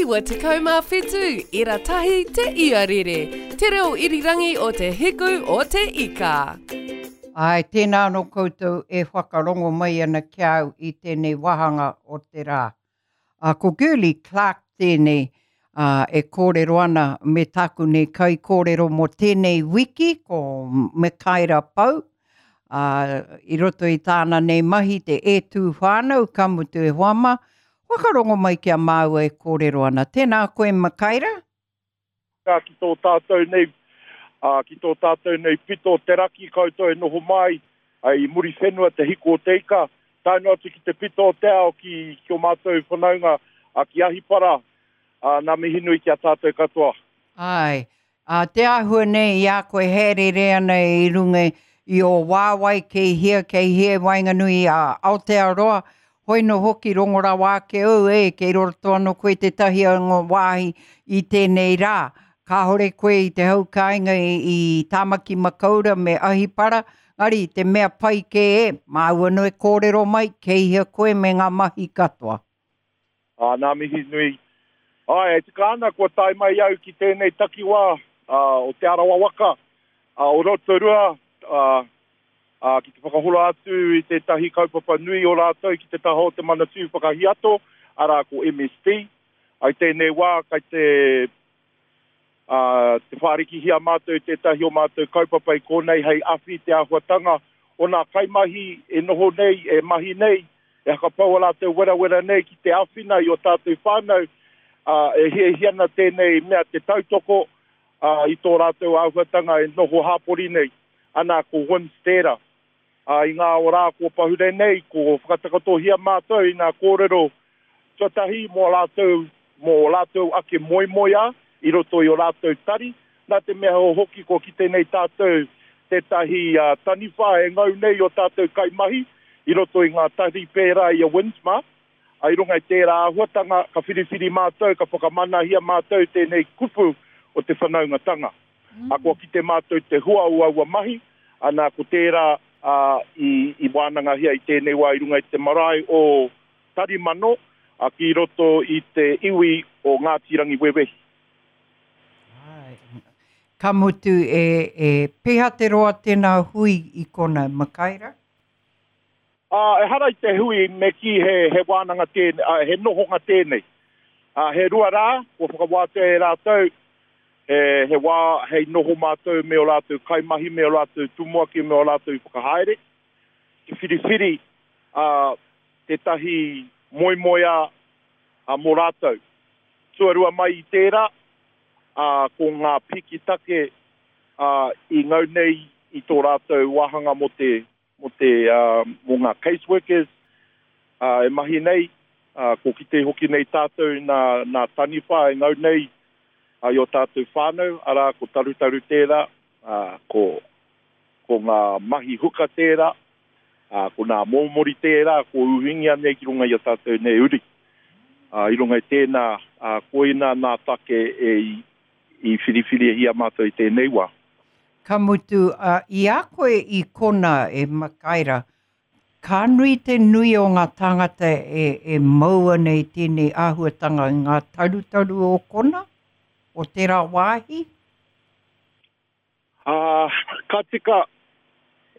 97 ira tahi te iarere, te reo irirangi o te hiku o te ika. Āe, tēnā anō koutou e whakarongo mai ana ki a au i tēnei wāhanga o te rā. Ā, ko Girlie Clarke tēnei, ā, e kōrero ana me tāku nei kaikōrero mō tēnei wiki, ko Mikaera Pou, ā, i roto i tāna nei mahi te E Tū Whānau, ka mutu e hoa mā, whakarongo mai ki a māua e kōrero ana. Tēnā koe Mikaera. Ka ki tō tātou nei, ā, ki tō tātou nei pito o te raki koutou e noho mai i Muriwhenua te hiku o te ika, tae noa atu ki te pito o te ao ki, ki o mātou whanaunga, ā, ki Ahipara, ā, nā mihi nui ki a tātou katoa. Āe, Ā, te āhua nei i a koe hāereere ana i runga i ō wāwae kei hea, kei hea i waenganui i a Aotearoa, hoi nō hoki rongo rawa ake au, e, kei roto anō koe i tētahi o ngā wāhi i tēnei rā. Kāore koe i te hau kāinga i, i Tāmaki Makaura me Ahipara, engari te mea pai kē e, māu anō e kōrero mai, kei hea koe me ngā mahi katoa. Ā, nā mihi nui. Āe, e tika ana kua tae mai au ki tēnei takiwā o Te Arawa waka, o Rotorua, ā, ā, ki te whakahora atu i tētahi kaupapa nui o rātou ki te taha o te Manatū Whakahiato, arā, ko MSD. I tēnei wā, kai te Ā, te whārikihia mātou tētahi o mātou kaupapa i konei hei awhi i te āhuatanga o nā kaimahi e noho nei, e mahi nei, e hakapau ā rātou werawera nei ki te āwhina i ō tātou whānau, ā, e hiahia ana tēnei mea te tautoko, ā, i tō rātou āhuatanga e noho hāpori nei. Ana, ko WIMS tērā. Ā, i ngā rā kua pahure nei, ko whakatakotohia mātou i ngā kōrero tuatahi mō ā rātou, mō ō rātou ake moemoeā i roto i ō rātou tari, nā te mea hoki kua kite nei tātou tētahi taniwha e ngau nei i ō tātou kaimahi i roto i ngā tari pērā i a Windsmar. Ā, i runga i tērā āhuatanga, ka whiriwhiri mātou, ka whakamanahia mātou tēnei kupu o te whanaungatanga. Ā, kua kite mātou te hua o aua mahi, ana, ko tērā, ā, i, i wānangahia i tēnei wā i runga i te marae o Tarimano, ā, ki roto i te iwi o Ngāti Rangiwewehi. Āe. Ka mutu, e, e peha te roa tēnā hui i kona, Makaira? Ā, ehara i te hui me kī he, he wānanga tēnei, ā, he nohonga tēnei. Ā, he rua rā, kua whakawātea e rātou, he, he wā hei noho mātou me ō rātou kaimahi, me ō rātou tumuaki, me ō rātou whakahaere, te whiriwhiri, ā, tētahi moemoeā, ā, mō rātou. Tuarua mai i tērā, ā, ko ngā piki take, ā, i ngau nei i tō rātou wāhanga mō te, mō te, mō ngā case workers e mahi nei, ko kite hoki nei tātou i nā, nā taniwha e ngau nei i ō tātou whānau, arā, ko Tarutaru tērā, ko, ko ngā mahi huka tērā, ko nā mōmori tērā, ko uhingia nei ki runga i a tātou nei uri. I runga i tēnā, koina nā take e i whiriwhirihia mātou i tēnei wā. Ka mutu, ā, i a koe i konā, e Makaira, ka nui te nui o ngā tāngata e, e mau ana i tēnei āhuatanga i ngā tarutaru o kona, o tērā wāhi? Ā, ka tika,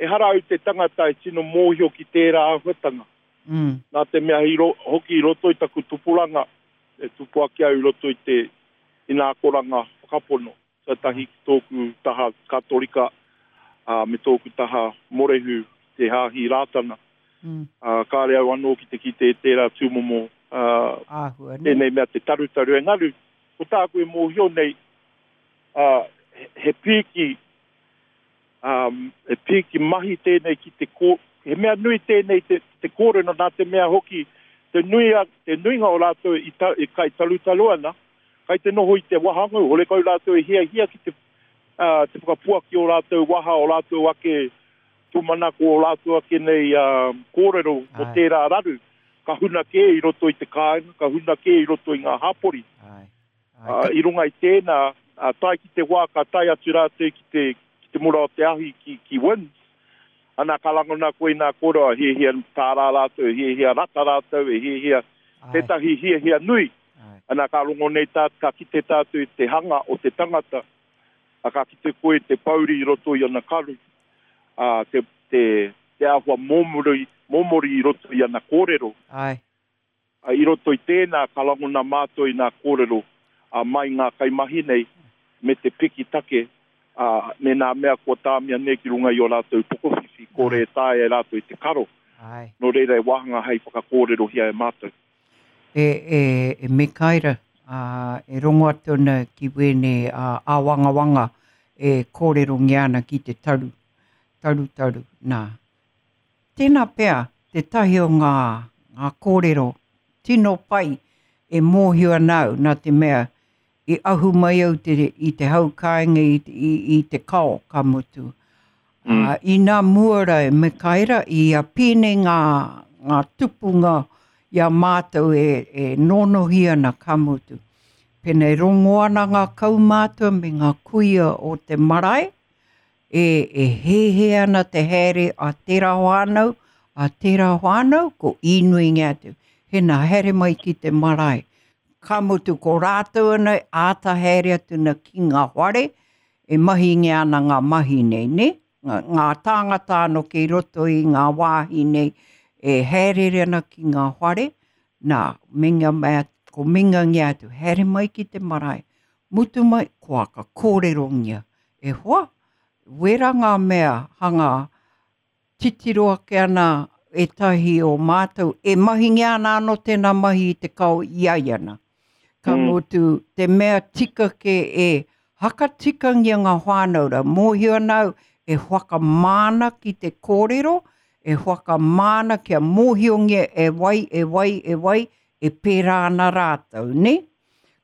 ehara au te tangata e tino mōhio ki tērā āhuatanga. Mm. Nā te mea i ro, hoki i roto i taku tupuranga, e tupu ake au i roto i te, i ngā akoranga whakapono. Tuatahi ki tōku taha Katorika, ā, me tōku taha Morehu ki te Hāhi Rātana. Ā, kāre au anō ki te kite i tērā tūmomo, ā, Āhua nei. tēnei mea te tarutaru. Engari, ko tāku e mōhio nei, ā, he pīki, ā, he pīki mahi tēnei ki te kō, he mea nui tēnei te, te kōrero nā te mea hoki te nui a, te nuinga o rātou i, ta, i kai tarutaru ana, Kai te noho i te wahangau, horekau rātou e hiahia ki te, ā, te whakapuaki o rātou waha, o rātou ake tūmanako, o rātou ake nei, ā, kōrero mō tērā raru, ka huna kē i roto i te kāinga, ka huna kē i roto i ngā hapori. Āe. Ā, i runga i tēnā, ā, tae ki te wā ka tae atu rātou ki te, ki te mura o te ahi ki, ki WINZ, ana ka rangona koe i ngā kōrero, e hiahia tārā rātou, e hiahia rata rātou, e hiahia tētahi hiahia nui. Ana ka rongo nei tā, ka kite tātou i te hanga o te tangata, a ka kite koe i te pouri i roto i ana karu, a, te, te, te āhua mōmori, mōmori i roto i ana kōrero. Āe. A, i roto i tēnā ka rangona mātou i ngā kōrero a mai ngā kaimahi nei me te piki take, a, me nā mea kua tāmia nei ki runga i ō rātou pokowhiwhi, kore e taea e rātou te karo. Āe. Nō reira e wāhanga hei whakakōrerohia e mātou. E, e, e Mikaera, ā, e rongo atu ana ki wēnei ā, āwangawanga e kōrerongia ana ki te taru, tarutaru, nā. Tēnā pea tētahi o ngā, ngā kōrero tino pai e mōhio ana au, nā te mea i ahu mai au te, i te hau kāinga i, i, i te kao, ka mutu. Mm. Uh, inā mua ra e Mikaera, i a pēnei ngā, ngā tupunga i a mātou e, e nōnohi ana, ka mutu. Pēnei rongo ana ngā kaumātua me ngā kuia o te marae, e, e hēhē ana te haere a tērā whānau, a tērā whānau, ko īnuingia atu. Hena, haere mai ki te marae. Ka mutu ko rātou ana e āta haere atu na ki ngā whare, e mahingia ana ngā mahi nei, nē? Ngā, ngā tāngata anō kei roto i ngā wāhi nei e haereere ana ki ngā whare, nā, minga mai, ko mingangia atu, haere mai ki te marae, mutu mai, kua ka kōrerongia, E hoa, wera ngā mea hanga titiro ake ana ētahi o mātou, e mahingia ana anō tēnā mahi i te kao i a ia ana. Ka mm. mutu, te mea tika ke e hakatikangia ngā whānau rā, mōhio ana au e whakamāna ki te kōrero, e whakamāna kia mōhiongia e wai, e wai, e wai, e pērā ana rātou, ne?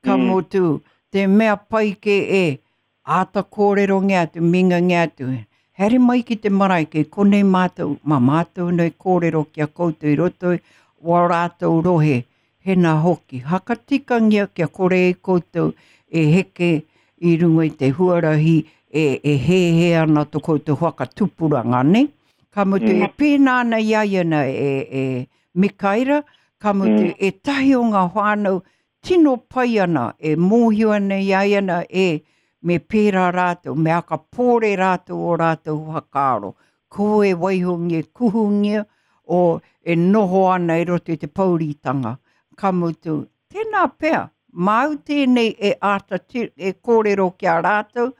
Ka mm. mutu, te mea pai ke e Āta kōrerongia atu, mingangia atu, Haere mai ki te marae, kei konei mātou, mā mātou nei kōrero ki a koutou i roto i wā rātou rohe, hena hoki, hakatikangia kia kore ai koutou e heke i runga i te huarahi e, e hēhē ana to koutou whakatupuranga, ne? Ka mutu, mm. e pēnā ana i a ia na e, e Mikaira, ka mutu, mm. ētahi o ngā whānau tino pai ana, e mōhio ana i a ia na, e, me pērā rātou, me akapōre rātou o rātou whakaaro. Ko e waihongia, kuhungia, o e noho ana i roto i te pouritanga. Ka mutu, tēnā pea, māu tēnei e āta e kōrero ki a rātou,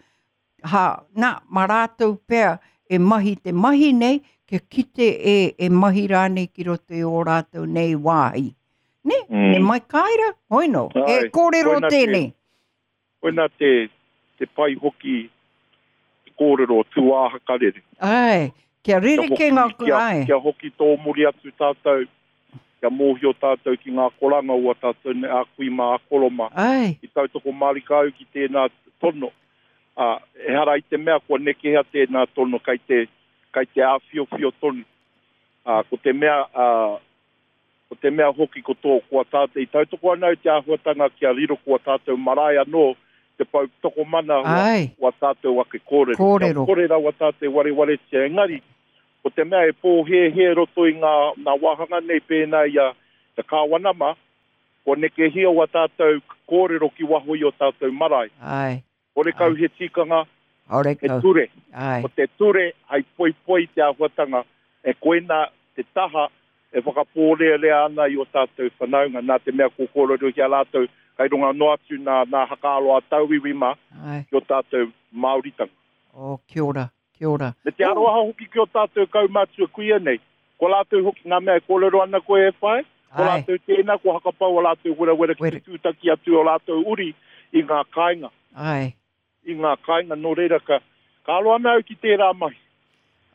Ha, nā, mā rātou pea e mahi te mahi nei, kia kite e, e mahi rānei ki roto i ō rātou nei wāhi. Nē, mm. me mai kāira, hoi no, e kōrero koina tēnei. Te, koina te, te pai hoki te kōrero tūāhakarere. Ai, kia rerekē ngā... Kia, kia hoki tō muri atu tātou, kia mōhio tātou ki ngā koranga o a tātou nei, a kui mā, a koro mā. Ai. I tautoko mārika au ki tēnā tono. Ā, ehara i te mea kua nekehia tēnā tono kei te, kei te āwhiowhio tonu. Ā, ko te mea, ā, ko te mea hoki ko tō, ko a tātou, i tautoko ana au te āhuatanga kia riro ko a tātou marae anō te pou tokomana o, o a tātou ake kōrero. Kōrero. Kia kore rawa tātou e warewaretia, engari, ko te mea e pōhēhē roto i ngā, ngā wāhanga nei pēnā i a te Kāwana mā, Kua nekehia wā tātou kōrero ki waho i ō tātou marae. Āe. Horekau he tikanga, Horekau. he ture. Āe. Ko te ture hai poipoi i te āhuatanga, e koinā te taha e whakapōrearea ana i ō tātou whanaunga, nā te mea kua kōrerohia rātou kai runga noa atu nā, nā hakaaro a tauiwi mā ki ō tātou Māoritanga. Oh, kia ora. Kia ora. Me te aroha hoki ki o tātou kaumātua kuia nei. Ko rātou hoki ngā mea e kōrero ana koe e whai, ko rātou tēnā kua hakapau a rātou werawera ki te tūtaki atu o rātou uri i ngā kāinga. Āe. I ngā kāinga, nō reira ka, ka aro ana au ki tērā mahi.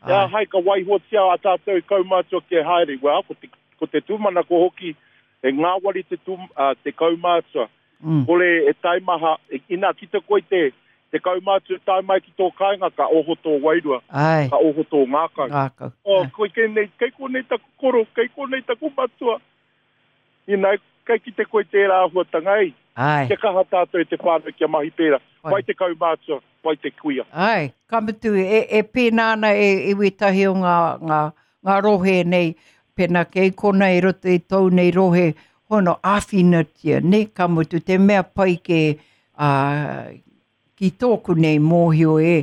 Āe. Ā, hai ka waihotia a tātou kaumātua kia haere, well, ko te, ko te tūmanako hoki, he ngāwari te, tū, uh, te kaumātua. Mm. Kore e taimaha, ina kite koe te, te kaumātua tae mai ki tō kāinga, ka oho tō wairua, Ai. ka oho tō ngākau. Ngākau. Oh, koe kei nei, kei konei taku koro, kei konei taku matua. Ina, kei kite koe tērā āhuatanga, ei. Ai. Kia kaha tātou e te whānau kia mahi pērā. Pai te kaumātua, pai te kuia. Ai, ka mutu, e, e pēnā ana e iwi tahi o ngā, ngā, ngā rohe nei, pēnā kei kona i roto i tōu nei rohe, Hono āwhinatia, nē, ka mutu te mea pai kē, ā, ki tōku nei mōhio e,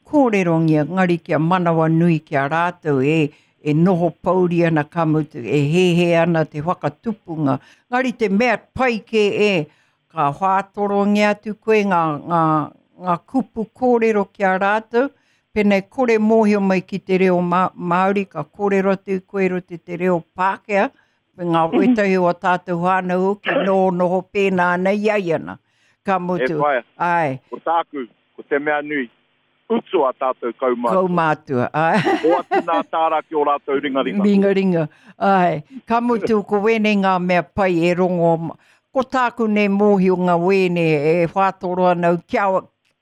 kōrerongia, ngari kia manawanui ki a rātou e, e noho pouri ana ka mutu, e hēhē ana te whakatupunga. Ngari te mea pai kē e, ka whātorongia atu koe ngā, ngā, ngā kupu kōrero ki a rātou, pēnā e kore mōhio mai ki te reo Māori, ka kōrero atu koe i roto i te reo Pākehā, me ngā wētahi o tātou whānau hoki nō noho pēnā ana i a ia na. Ka mutu. E whaea, Āe. ko tāku, ko te mea nui, utu a tātou kaumātua. Kaumātua, āe. Hoatu nā tāra ki ō rātou ringaringa. Ringaringa, āe. Ka mutu, ko wēnei ngā mea pai e rongo, ko tāku nei mōhio ngā wēne e whātoro ana au kia,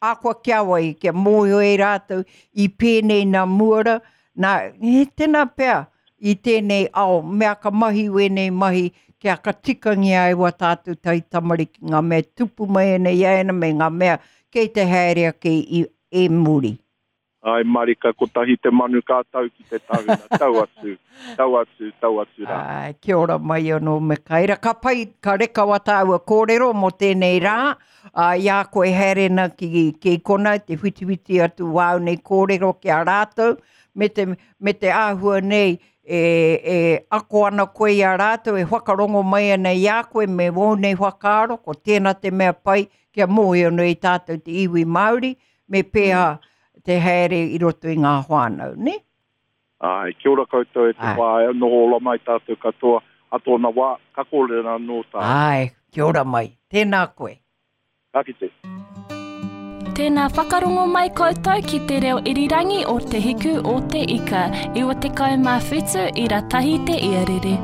akoa kia wai, kia mōhio e rātou i pēnei nā mua rā, nā, he tēnā pea, i tēnei ao, mea ka mahi wēnei mahi kia ka tikangia ai wā tātou taitamariki, ngā mea tupu mai ana i a ēnā me ngā mea kei te haere ake i e muri. Āe marika, kotahi te manu ka tau ki te tahuna, tau atu, tau atu, tau atu rā. Āe, kia ora mai anō Mikaera. Ka pai, ka reka wā tāua kōrero mō tēnei rā, ā, i a koe haere ana ki, ki konā, te whitiwhiti atu wāu nei kōrero ki a rātou, me te, me te āhua nei e, e ako ana koe i a rātou, e whakarongo mai ana i a koe me wōu nei whakaaro, ko tēnā te mea pai kia mōhio nei tātou te iwi Māori, me pēhā te haere i roto i ngā whānau, nē? Āe, kia ora koutou e te whāea, noho ora mai tātou katoa, a tōna wā, ka kōrero anō tātou. Āe, kia ora mai, tēnā koe. Ka kite. Tēnā whakarongo mai koutou ki te reo irirangi o Te Hiku o Te Ika, 97 ira tahi te iarere.